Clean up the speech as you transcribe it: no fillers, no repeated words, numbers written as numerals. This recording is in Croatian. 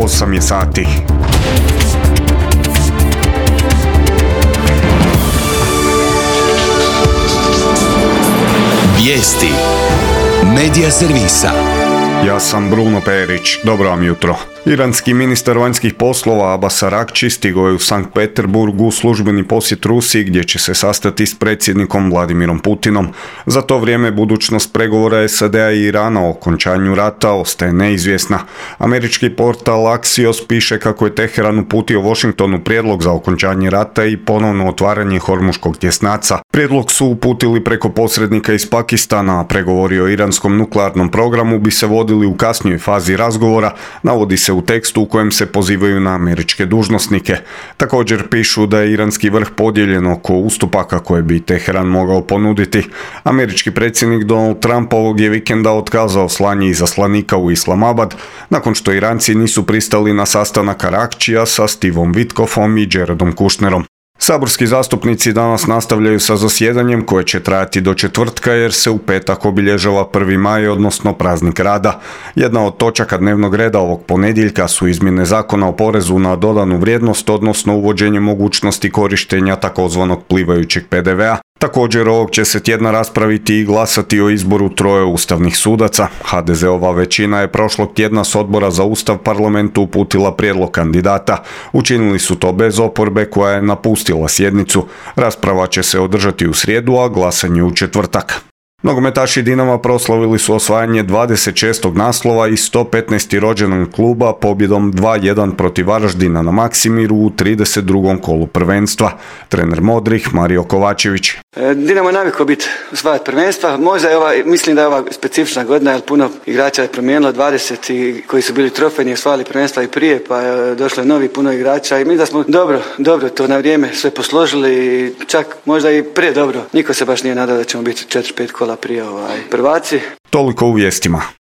8 je sati. Vijesti Medija servisa. Ja sam Bruno Perić, dobro vam jutro. Iranski ministar vanjskih poslova Abbas Araghči stigao je u Sankt Peterburg u službeni posjet Rusiji gdje će se sastati s predsjednikom Vladimirom Putinom. Za to vrijeme budućnost pregovora SAD-a i Irana o okončanju rata ostaje neizvjesna. Američki portal Axios piše kako je Teheran uputio Washingtonu prijedlog za okončanje rata i ponovno otvaranje Hormuškog tjesnaca. Prijedlog su uputili preko posrednika iz Pakistana, a pregovori o iranskom nuklearnom programu bi se vodili u kasnijoj fazi razgovora, navodi se u tekstu u kojem se pozivaju na američke dužnosnike. Također pišu da je iranski vrh podijeljen oko ustupaka koje bi Teheran mogao ponuditi. Američki predsjednik Donald Trump ovog je vikenda otkazao slanje izaslanika u Islamabad, nakon što Iranci nisu pristali na sastanak Araghčija sa Stevom Witkoffom i Jaredom Kushnerom. Saborski zastupnici danas nastavljaju sa zasjedanjem koje će trajati do četvrtka jer se u petak obilježava 1. maj, odnosno praznik rada. Jedna od točaka dnevnog reda ovog ponedjeljka su izmjene zakona o porezu na dodanu vrijednost, odnosno uvođenje mogućnosti korištenja takozvanog plivajućeg PDV-a. Također ovog će se tjedna raspraviti i glasati o izboru 3 ustavnih sudaca. HDZ-ova većina je prošlog tjedna s Odbora za Ustav parlamentu uputila prijedlog kandidata. Učinili su to bez oporbe koja je napustila sjednicu. Rasprava će se održati u srijedu, a glasanje u četvrtak. Nogometaši Dinama proslavili su osvajanje 26. naslova i 115. rođendan kluba pobjedom 2-1 protiv Varaždina na Maksimiru u 32. kolu prvenstva. Trener Modrih Mario Kovačević. Dinamo je navikao biti osvajati prvenstva. Možda je mislim da je ova specifična godina, jer puno igrača je promijenilo, 20 koji su bili trofejni osvajali prvenstva i prije, pa je došlo novi puno igrača i mi da smo dobro to na vrijeme sve posložili, čak možda i prije dobro. Niko se baš nije nadao da ćemo biti 4-5 kola prije prvaci. Toliko u vijestima.